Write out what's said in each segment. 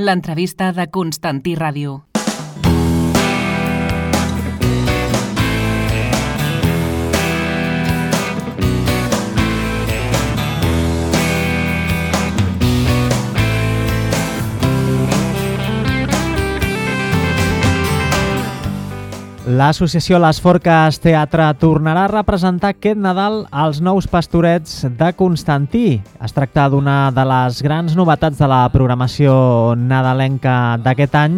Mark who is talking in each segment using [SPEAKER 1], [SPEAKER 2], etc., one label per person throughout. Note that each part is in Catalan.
[SPEAKER 1] L'entrevista de Constantí Ràdio.
[SPEAKER 2] L'associació Les Forques Teatre tornarà a representar aquest Nadal els nous Pastorets de Constantí. Es tracta d'una de les grans novetats de la programació nadalenca d'aquest any.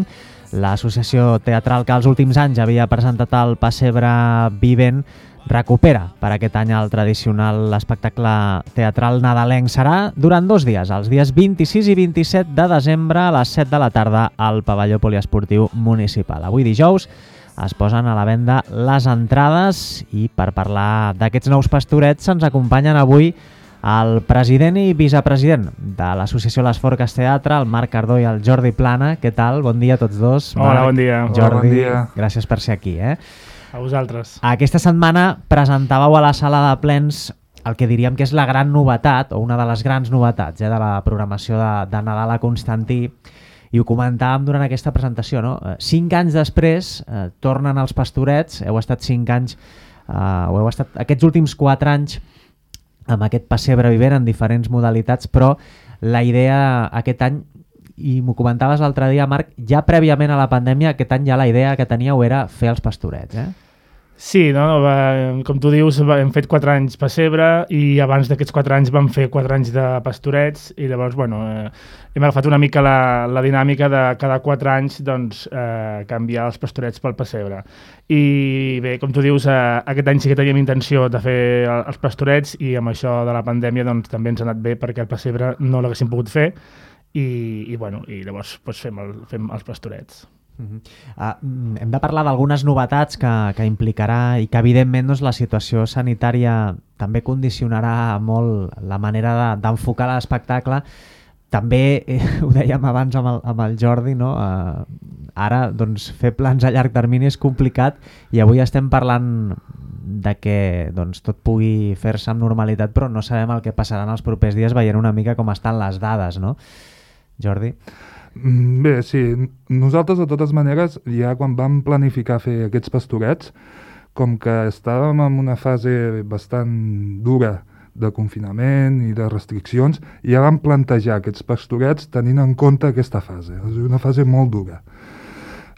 [SPEAKER 2] L'associació teatral que els últims anys havia presentat el Pessebre Vivent recupera per aquest any el tradicional espectacle teatral nadalenc. Serà durant 2 dies, els dies 26 i 27 de desembre a les 7 de la tarda al pavelló poliesportiu municipal. Avui dijous es posen a la venda les entrades i per parlar d'aquests nous Pastorets ens acompanyen avui el president i vicepresident de l'associació Les Forques Teatre, el Marc Cardó i el Jordi Plana. Què tal? Bon dia a tots dos.
[SPEAKER 3] Hola, bon dia.
[SPEAKER 2] Jordi,
[SPEAKER 3] hola, bon dia.
[SPEAKER 2] Gràcies per ser aquí.
[SPEAKER 3] A vosaltres.
[SPEAKER 2] Aquesta setmana presentàveu a la sala de plens el que diríem que és la gran novetat, o una de les grans novetats de la programació de Nadal a Constantí. I ho comentàvem durant aquesta presentació, no? 5 anys després tornen els Pastorets, heu estat 5 anys, o heu estat aquests últims 4 anys amb aquest Pessebre Vivent en diferents modalitats, però la idea aquest any, i m'ho comentaves l'altre dia, Marc, ja prèviament a la pandèmia, aquest any ja la idea que teníeu era fer els Pastorets,
[SPEAKER 3] Sí, com tu dius, hem fet 4 anys Pessebre i abans d'aquests 4 anys vam fer 4 anys de Pastorets i llavors, hem agafat una mica la dinàmica de cada 4 anys canviar els Pastorets pel Pessebre. I bé, com tu dius, aquest any sí que teníem intenció de fer els Pastorets i amb això de la pandèmia també ens ha anat bé perquè el Pessebre no l'haguéssim pogut fer i llavors fem els Pastorets.
[SPEAKER 2] Hem de parlar d'algunes novetats que implicarà i que evidentment la situació sanitària també condicionarà molt la manera d'enfocar l'espectacle. També ho dèiem abans amb el Jordi, no? Ara fer plans a llarg termini és complicat i avui estem parlant de que tot pugui fer-se amb normalitat, però no sabem el que passarà en els propers dies veient una mica com estan les dades, no? Jordi?
[SPEAKER 4] Bé, sí. Nosaltres, de totes maneres, ja quan vam planificar fer aquests Pastorets, com que estàvem en una fase bastant dura de confinament i de restriccions, ja vam plantejar aquests Pastorets tenint en compte aquesta fase. És una fase molt dura.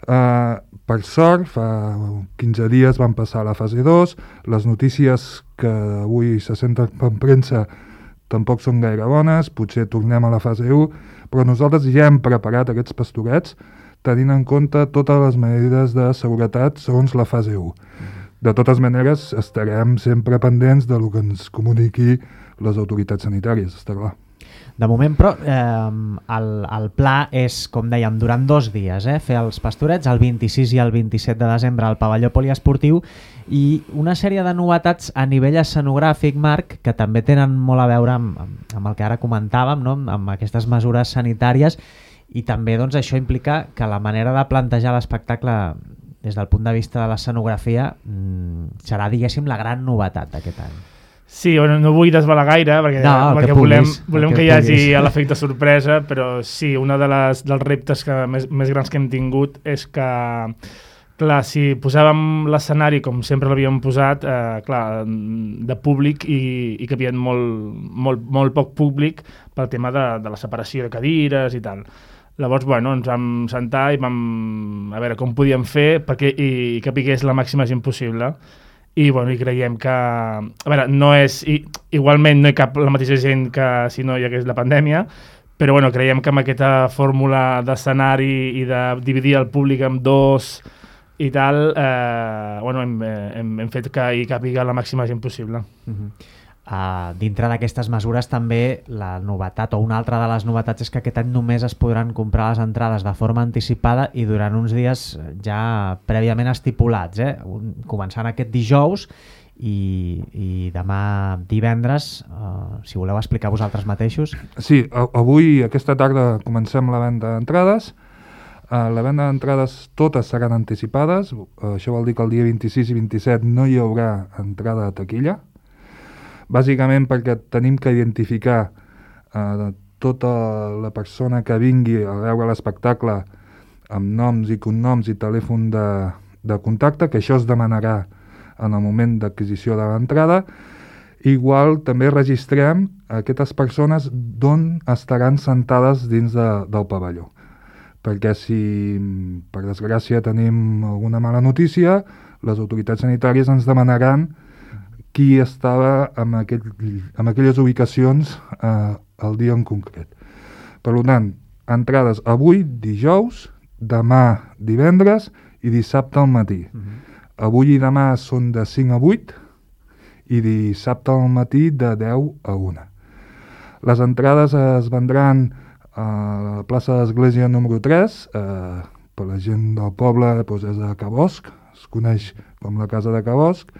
[SPEAKER 4] Per sort, fa 15 dies vam passar a la fase 2, les notícies que avui se senten per premsa tampoc són gaire bones, potser tornem a la fase 1, però nosaltres ja hem preparat aquests Pastorets tenint en compte totes les mesures de seguretat segons la fase 1. De totes maneres, estarem sempre pendents del que ens comuniqui les autoritats sanitàries, està clar.
[SPEAKER 2] De moment, però, el pla és, com dèiem, durant 2 dies, fer els Pastorets, el 26 i el 27 de desembre al pavelló poliesportiu, i una sèrie de novetats a nivell escenogràfic, Marc, que també tenen molt a veure amb el que ara comentàvem, no? Amb aquestes mesures sanitàries, i també això implica que la manera de plantejar l'espectacle des del punt de vista de l'escenografia serà, diguéssim, la gran novetat d'aquest any.
[SPEAKER 3] Sí, no vull desvelar gaire perquè volem que hi hagi l'efecte sorpresa, però sí, un dels reptes més grans que hem tingut és que, clar, si posàvem l'escenari com sempre l'havíem posat, de públic i que hi havia molt poc públic pel tema de la separació de cadires i tal. Llavors, ens vam sentar i vam a veure com podíem fer perquè hi capigués la màxima gent possible. I creiem que, igualment no hi cap la mateixa gent que si no hi hagués la pandèmia, però creiem que amb aquesta fórmula d'escenari i de dividir el públic en 2 i tal, hem fet que hi càpiga la màxima gent possible.
[SPEAKER 2] Dintre d'aquestes mesures també la novetat, o una altra de les novetats, és que aquest any només es podran comprar les entrades de forma anticipada i durant uns dies ja prèviament estipulats, començant aquest dijous i demà divendres, si voleu explicar vosaltres mateixos.
[SPEAKER 4] Sí, avui, aquesta tarda, comencem la venda d'entrades. La venda d'entrades totes seran anticipades, això vol dir que el dia 26 i 27 no hi haurà entrada de taquilla, bàsicament perquè tenim que identificar tota la persona que vingui a veure l'espectacle amb noms i cognoms i telèfon de contacte, que això es demanarà en el moment d'adquisició de l'entrada. Igual també registrem aquestes persones d'on estaran sentades dins del pavelló. Perquè si, per desgràcia, tenim alguna mala notícia, les autoritats sanitàries ens demanaran qui estava en aquelles ubicacions el dia en concret. Per tant, entrades avui, dijous, demà, divendres i dissabte al matí. Avui i demà són de 5 a 8 i dissabte al matí de 10 a 1. Les entrades es vendran a la plaça d'Església número 3, per la gent del poble doncs és a Cabosc, es coneix com la Casa de Cabosc.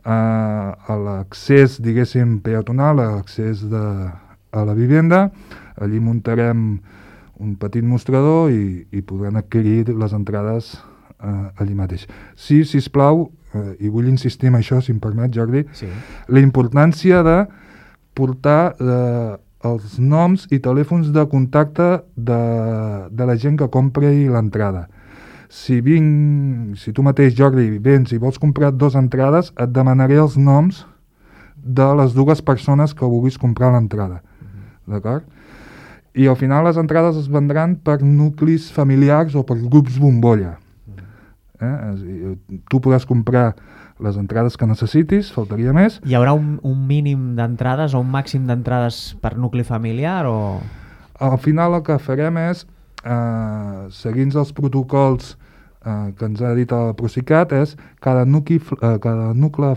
[SPEAKER 4] A l'accés, diguéssim, peatonal, a l'accés a la vivenda, allí muntarem un petit mostrador i podran adquirir les entrades allí mateix. Sí, sisplau, i vull insistir en això, si em permet, Jordi, sí. La importància de portar els noms i telèfons de contacte de la gent que compri l'entrada. Si tu mateix, Jordi, vens i vols comprar 2 entrades, et demanaré els noms de les 2 persones que vulguis comprar l'entrada. D'acord? I al final les entrades es vendran per nuclis familiars o per grups bombolla. Tu podràs comprar les entrades que necessitis, faltaria més.
[SPEAKER 2] Hi haurà un mínim d'entrades o un màxim d'entrades per nucli familiar? O...
[SPEAKER 4] Al final el que farem és, seguint els protocols que ens ha dit el Procicat, és cada nucli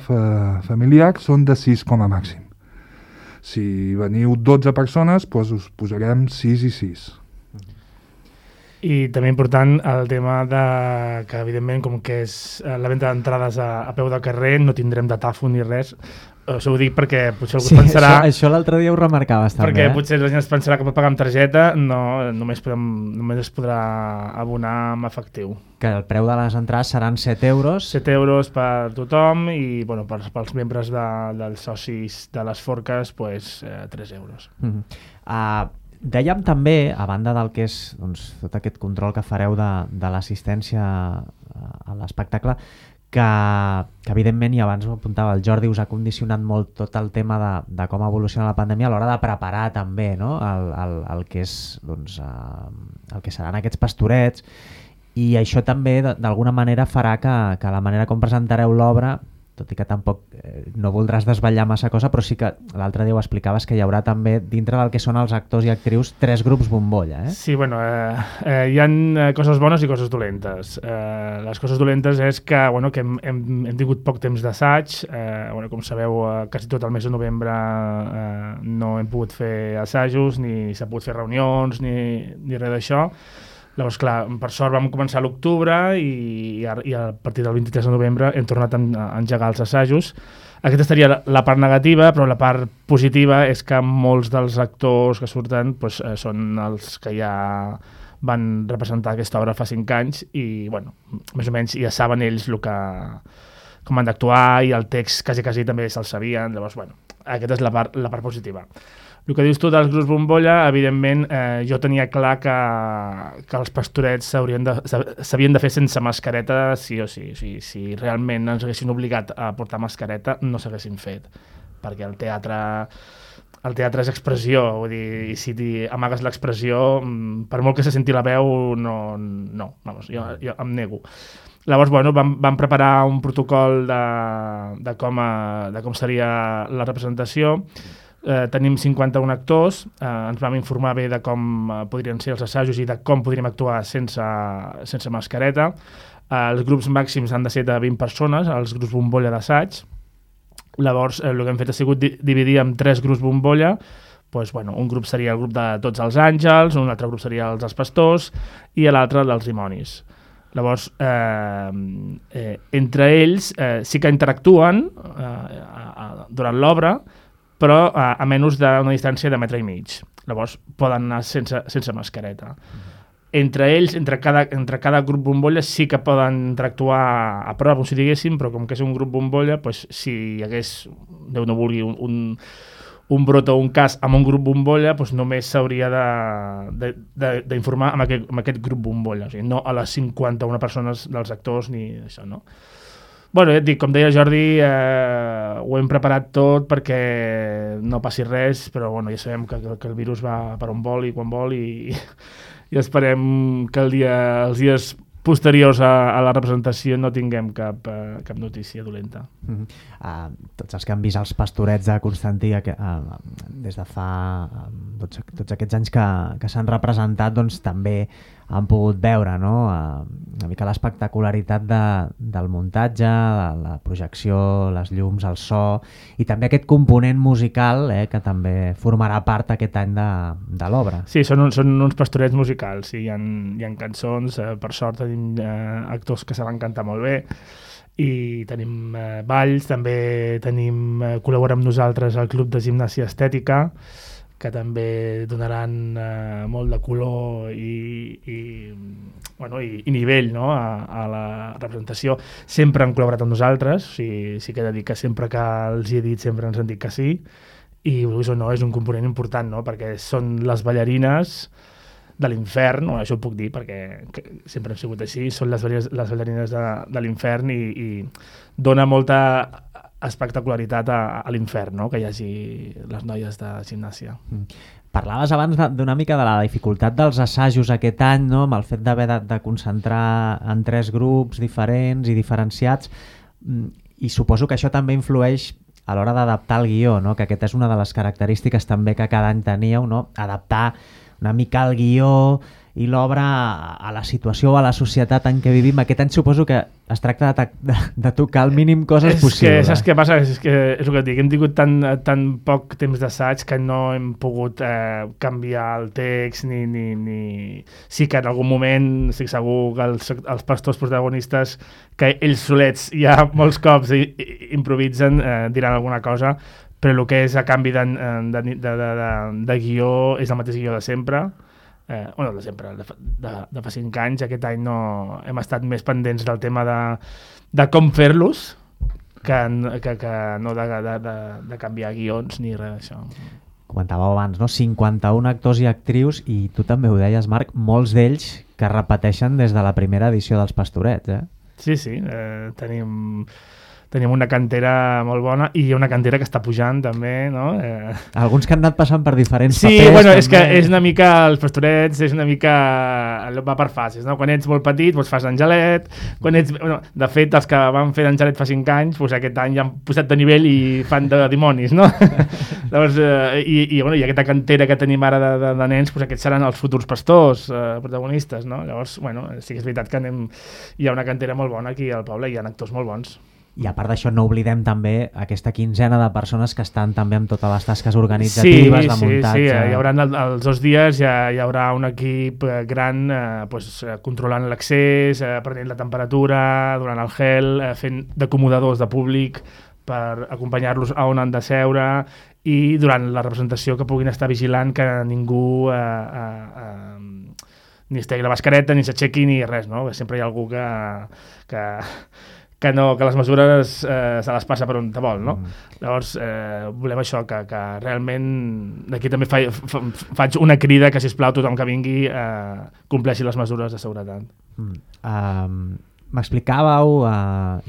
[SPEAKER 4] familiar són de 6 com a màxim. Si veniu 12 persones, doncs us posarem 6 i 6.
[SPEAKER 3] I també important el tema de que, evidentment, com que és la venda d'entrades a peu de carrer, no tindrem datàfon ni res. Això ho dic perquè potser algú pensarà...
[SPEAKER 2] Això l'altre dia ho remarcaves també.
[SPEAKER 3] Perquè potser la gent es pensarà que pot pagar amb targeta, no, només es podrà abonar amb efectiu.
[SPEAKER 2] Que el preu de les entrades seran 7 euros.
[SPEAKER 3] 7 euros per tothom i pels membres dels socis de les forques, 3 euros.
[SPEAKER 2] Dèiem també, a banda del que és tot aquest control que fareu de l'assistència a l'espectacle, que evidentment, i abans ho apuntava el Jordi, us ha condicionat molt tot el tema de com evoluciona la pandèmia a l'hora de preparar també, no? el que és, el que seran aquests pastorets, i això també d'alguna manera farà que la manera com presentareu l'obra, tot i que tampoc no voldràs desvetllar massa cosa, però sí que l'altre dia ho explicaves que hi haurà també, dintre del que són els actors i actrius, 3 grups bombolla.
[SPEAKER 3] Sí, hi ha coses bones i coses dolentes. Les coses dolentes és que hem tingut poc temps d'assaig. Com sabeu, quasi tot el mes de novembre no hem pogut fer assajos, ni s'ha pogut fer reunions, ni res d'això. Llavors, clar, per sort vam començar a l'octubre i a partir del 23 de novembre hem tornat a engegar els assajos. Aquesta seria la part negativa, però la part positiva és que molts dels actors que surten són els que ja van representar aquesta obra fa 5 anys i, més o menys ja saben ells com han d'actuar i el text quasi també se'l sabien. Llavors, aquesta és la part positiva. El que dius tu dels grups bombolla, evidentment, jo tenia clar que els pastorets s'havien de fer sense mascareta sí o sí. O sigui, si realment ens haguessin obligat a portar mascareta, no s'haguessin fet. Perquè el teatre és expressió, vull dir, i si amagues l'expressió, per molt que se senti la veu, jo em nego. Llavors, vam preparar un protocol de com seria la representació. Tenim 51 actors, ens vam informar bé de com podrien ser els assajos i de com podríem actuar sense mascareta. Els grups màxims han de ser de 20 persones, els grups bombolla d'assaig. Llavors, el que hem fet ha sigut dividir en 3 grups bombolla. Un grup seria el grup de tots els àngels, un altre grup seria els pastors i l'altre dels dimonis. Llavors, entre ells sí que interactuen durant l'obra, però a menys d'una distància de 1,5 metres. Llavors poden anar sense mascareta. Entre ells, entre cada grup bombolla sí que poden interactuar a prop, si diguéssim, però com que és un grup bombolla, si hi hagués, Déu no vulgui, un brot o un cas amb un grup bombolla, doncs només s'hauria d'informar amb aquest grup bombolla, o sigui, no a les 51 persones dels actors ni això, no? Bueno, ja et dic, com deia Jordi, ho hem preparat tot perquè no passi res, però bueno, ja sabem que el virus va per on vol i quan vol i esperem que els dies posteriors a la representació no tinguem cap notícia dolenta.
[SPEAKER 2] Tots els que han vist els Pastorets de Constantí des de fa tots aquests anys que s'han representat, doncs també han pogut veure, no? Una mica l'espectacularitat del muntatge, la projecció, les llums, el so i també aquest component musical que també formarà part aquest any de l'obra.
[SPEAKER 3] Sí, són uns pastorets musicals, sí, hi ha cançons, per sort tenim actors que saben cantar molt bé i tenim balls, també col·laborem amb nosaltres al Club de Gimnàsia Estètica, que també donaran molt de color i nivell, no? a la representació. Sempre han col·laborat amb nosaltres, sí que he de dir que sempre que els he dit sempre ens han dit que sí, i vulguis o no, és un component important, no? Perquè són les ballarines de l'infern, no? Això ho puc dir perquè sempre han sigut així, són les ballarines de l'infern i dona molta espectacularitat a l'infern, no? Que hi hagi les noies de gimnàsia.
[SPEAKER 2] Parlaves abans d'una mica de la dificultat dels assajos aquest any, no? Amb el fet d'haver de concentrar en 3 grups diferents i diferenciats, i suposo que això també influeix a l'hora d'adaptar el guió, no? Que aquesta és una de les característiques també que cada any teníeu, no? Adaptar una mica el guió i l'obra a la situació o a la societat en què vivim. Aquest any suposo que es tracta de tocar el mínim coses possible.
[SPEAKER 3] Saps què passa? És el que et dic, hem tingut tan poc temps d'assaig que no hem pogut canviar el text ni... Sí que en algun moment estic segur que els pastors protagonistes, que ells solets ja molts cops improvisen, diran alguna cosa, però el que és a canvi de guió és el mateix guió de sempre. De sempre, de fa 5 anys. Aquest any no hem estat més pendents del tema de com fer-los que no de canviar guions ni res d'això.
[SPEAKER 2] Comentàveu abans, no? 51 actors i actrius, i tu també ho deies, Marc, molts d'ells que repeteixen des de la primera edició dels Pastorets, eh?
[SPEAKER 3] Sí, tenim una cantera molt bona i una cantera que està pujant també, no?
[SPEAKER 2] Alguns que han anat passant per diferents papers.
[SPEAKER 3] Sí, bueno, és que és una mica, els Pastorets és una mica, va per fases, no? Quan ets molt petit, doncs fas d'Angelet, de fet, els que van fer d'Angelet fa 5 anys, doncs aquest any ja han posat de nivell i fan de dimonis, no? Llavors, i aquesta cantera que tenim ara de nens, doncs aquests seran els futurs pastors protagonistes, no? Llavors, sí que és veritat que hi ha una cantera molt bona aquí al poble, hi ha actors molt bons.
[SPEAKER 2] I a part d'això no oblidem també aquesta quinzena de persones que estan també amb totes les tasques organitzatives, de muntatge.
[SPEAKER 3] Sí, hi haurà els 2 dies, hi haurà un equip gran controlant l'accés, prenent la temperatura, donant el gel, fent d'acomodadors de públic per acompanyar-los a on han de seure, i durant la representació que puguin estar vigilant que ningú ni es tregui la mascareta, ni s'aixequi, ni res, no? Sempre hi ha algú que les mesures se les passa per on te vol, no? Llavors, volem això, que realment d'aquí també faig una crida que, sisplau, tothom que vingui compleixi les mesures de seguretat.
[SPEAKER 2] M'explicàveu,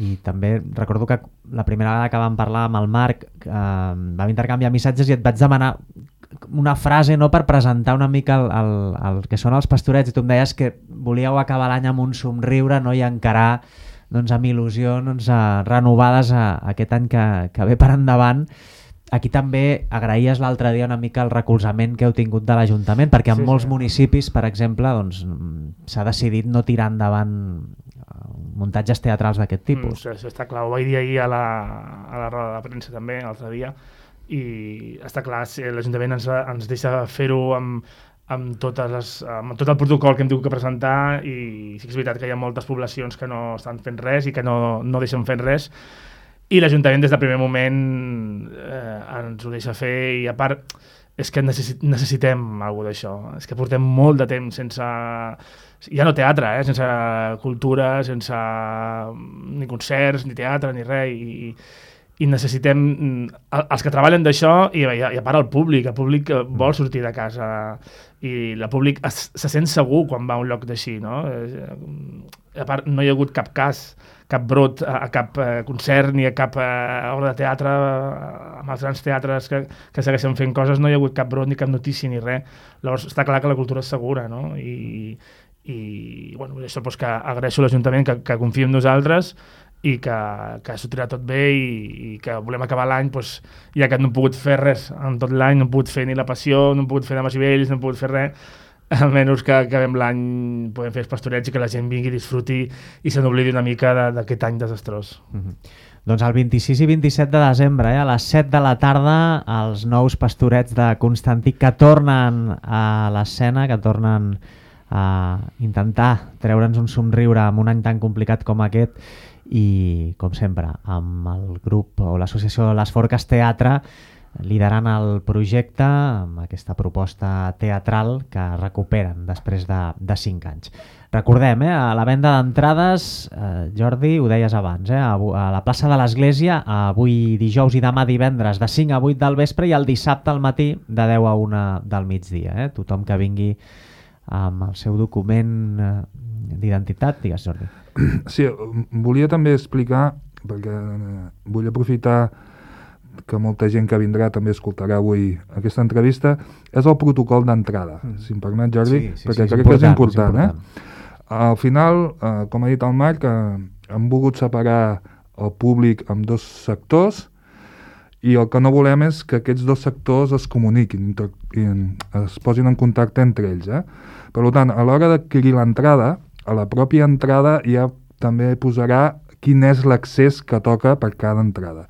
[SPEAKER 2] i també recordo que la primera vegada que vam parlar amb el Marc vam intercanviar missatges i et vaig demanar una frase, no, per presentar una mica el que són els Pastorets, i tu em deies que volíeu acabar l'any amb un somriure, no, i encarar amb il·lusió renovades aquest any que ve per endavant. Aquí també agraïes l'altre dia una mica el recolzament que heu tingut de l'Ajuntament, perquè en molts municipis, per exemple, s'ha decidit no tirar endavant muntatges teatrals d'aquest tipus.
[SPEAKER 3] Això està clar, ho vaig dir ahir a la roda de premsa també, l'altre dia, i està clar, l'Ajuntament ens deixa fer-ho amb tot el protocol que hem tingut que presentar, i sí que és veritat que hi ha moltes poblacions que no estan fent res i que no deixen fent res, i l'Ajuntament des del primer moment ens ho deixa fer, i a part és que necessitem alguna d'això, és que portem molt de temps sense, ja no teatre, sense cultura, sense ni concerts, ni teatre, ni res, i necessitem els que treballen d'això i a part el públic vol sortir de casa i el públic se sent segur quan va a un lloc d'així, no? A part no hi ha hagut cap cas, cap brot a cap concert ni a cap obra de teatre amb els grans teatres que segueixen fent coses, no hi ha hagut cap brot ni cap notícia ni res. Llavors està clar que la cultura és segura, no? I bueno, això doncs que agraeixo a l'Ajuntament que confia en nosaltres i que s'ho tirarà tot bé i que volem acabar l'any, doncs, ja que no hem pogut fer res en tot l'any, no hem pogut fer ni la Passió, no hem pogut fer Dames i Vells, no hem pogut fer res, almenys que acabem l'any podem fer els pastorets i que la gent vingui, disfruti i se n'oblidi una mica d'aquest any desastrós.
[SPEAKER 2] Doncs el 26 i 27 de desembre, a les 7 de la tarda, els nous pastorets de Constantí que tornen a l'escena, que tornen a intentar treure'ns un somriure en un any tan complicat com aquest i, com sempre, amb el grup o l'associació Les Forques Teatre liderant el projecte amb aquesta proposta teatral que recuperen després de 5 anys. Recordem, a la venda d'entrades, Jordi, ho deies abans, a la plaça de l'Església, avui dijous i demà divendres de 5 a 8 del vespre i el dissabte al matí de 10 a 1 del migdia. Tothom que vingui amb el seu document d'identitat, digues, Jordi.
[SPEAKER 4] Sí, volia també explicar, perquè vull aprofitar que molta gent que vindrà també escoltarà avui aquesta entrevista, és el protocol d'entrada, si em permet, Jordi, perquè crec que és important. Al final, com ha dit el Marc, hem volgut separar el públic en 2 sectors i el que no volem és que aquests 2 sectors es comuniquin, es posin en contacte entre ells. Per tant, a l'hora d'adquirir l'entrada, a la pròpia entrada ja també posarà quin és l'accés que toca per cada entrada.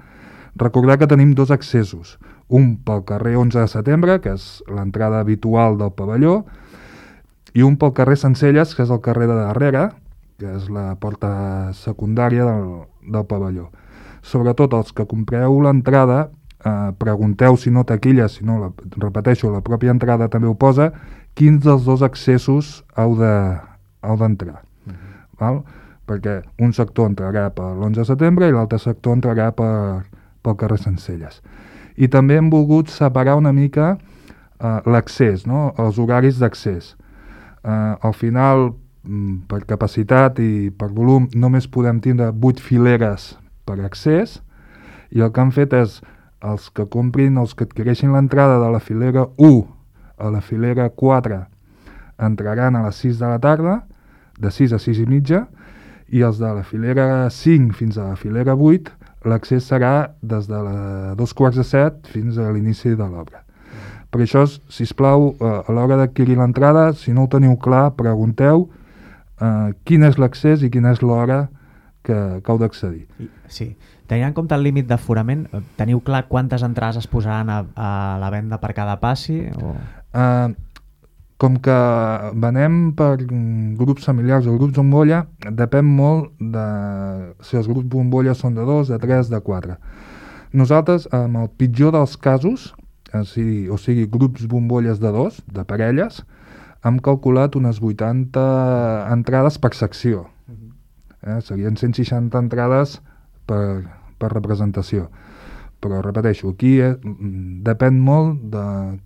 [SPEAKER 4] Recordar que tenim 2 accessos, un pel carrer 11 de setembre, que és l'entrada habitual del pavelló, i un pel carrer Sencelles, que és el carrer de darrere, que és la porta secundària del pavelló. Sobretot els que compreu l'entrada, pregunteu si no taquilla, si no, repeteixo, la pròpia entrada també ho posa, quins dels 2 accessos heu d'entrar. Val? Perquè un sector entrarà per l'11 de setembre i l'altre sector entrarà pel carrer Sencelles. I també hem volgut separar una mica l'accés, no? Els horaris d'accés. Al final, per capacitat i per volum, només podem tindre 8 fileres per accés i el que han fet és els que comprin, els que adquireixin l'entrada de la filera 1 a la filera 4 entraran a les 6 de la tarda, de 6 a 6 i mitja, i els de la filera 5 fins a la filera 8 l'accés serà des de 2:45 fins a l'inici de l'obra. Per això, sisplau, a l'hora d'adquirir l'entrada, si no ho teniu clar, pregunteu quin és l'accés i quina és l'hora que heu d'accedir.
[SPEAKER 2] Sí. Tenint en compte el límit d'aforament, teniu clar quantes entrades es posaran a la venda per cada passi?
[SPEAKER 4] Com que venem per grups familiars o grups bombolla, depèn molt de si els grups bombolla són de 2, de 3, de 4. Nosaltres, amb el pitjor dels casos, o sigui, grups bombolles de 2, de parelles, hem calculat unes 80 entrades per secció. Serien 160 entrades per representació. Però, repeteixo, aquí depèn molt de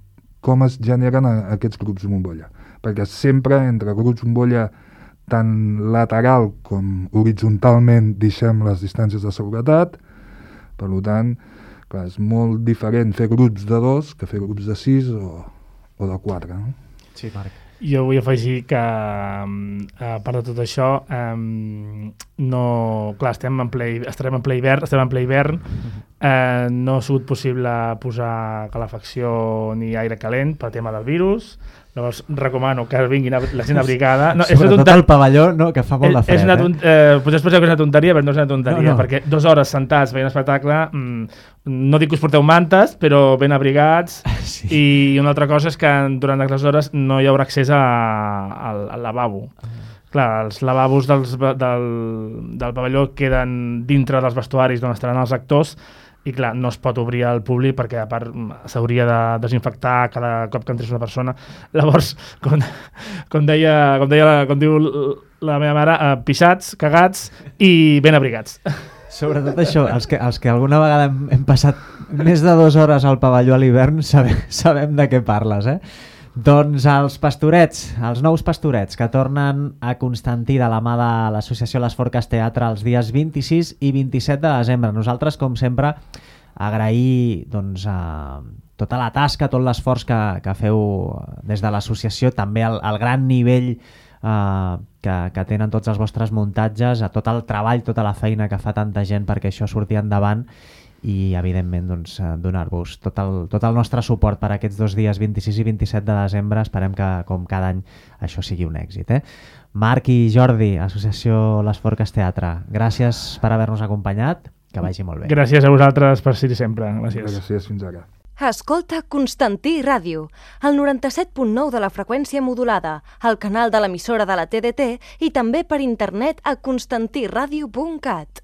[SPEAKER 4] com es generen aquests grups bombolla. Perquè sempre entre grups bombolla tant lateral com horitzontalment deixem les distàncies de seguretat. Per tant, clar, és molt diferent fer grups de 2 que fer grups de 6 o de 4. No?
[SPEAKER 2] Sí, Marc.
[SPEAKER 3] Jo vull afegir que, a part de tot això, estarem en ple hivern, no ha sigut possible posar calefacció ni aire calent per tema del virus. Llavors recomano que vinguin la gent abrigada.
[SPEAKER 2] Sobretot al pavelló, que fa molt de fred.
[SPEAKER 3] Potser es penseu que és una tonteria, però no és una tonteria, perquè 2 hores sentats veient espectacle, no dic que us porteu mantes, però ben abrigats. Sí. I una altra cosa és que durant aquestes hores no hi haurà accés al lavabo. Clar, els lavabos del pavelló queden dintre dels vestuaris on estaran els actors i clar, no es pot obrir al públic perquè a part s'hauria de desinfectar cada cop que entrés una persona. Llavors, com diu la meva mare, pixats, cagats i ben abrigats.
[SPEAKER 2] Sobretot això, els que alguna vegada hem passat més de 2 hores al pavelló a l'hivern sabem de què parles, eh? Doncs els pastorets, els nous pastorets que tornen a Constantí de la mà de l'associació Les Forques Teatre els dies 26 i 27 de desembre. Nosaltres, com sempre, agrair doncs, tota la tasca, tot l'esforç que feu des de l'associació, també el gran nivell que tenen tots els vostres muntatges, a tot el treball, tota la feina que fa tanta gent perquè això surti endavant i, evidentment, doncs, donar-vos tot el nostre suport per aquests 2 dies, 26 i 27 de desembre. Esperem que, com cada any, això sigui un èxit. Marc i Jordi, Associació Les Forques Teatre, gràcies per haver-nos acompanyat, que vagi molt bé.
[SPEAKER 3] Gràcies a vosaltres per ser-hi sempre. Gràcies.
[SPEAKER 4] Gràcies, fins ara.
[SPEAKER 5] Escolta Constantí Ràdio, el 97.9 de la freqüència modulada, el canal de l'emissora de la TDT i també per internet a constantiradio.cat.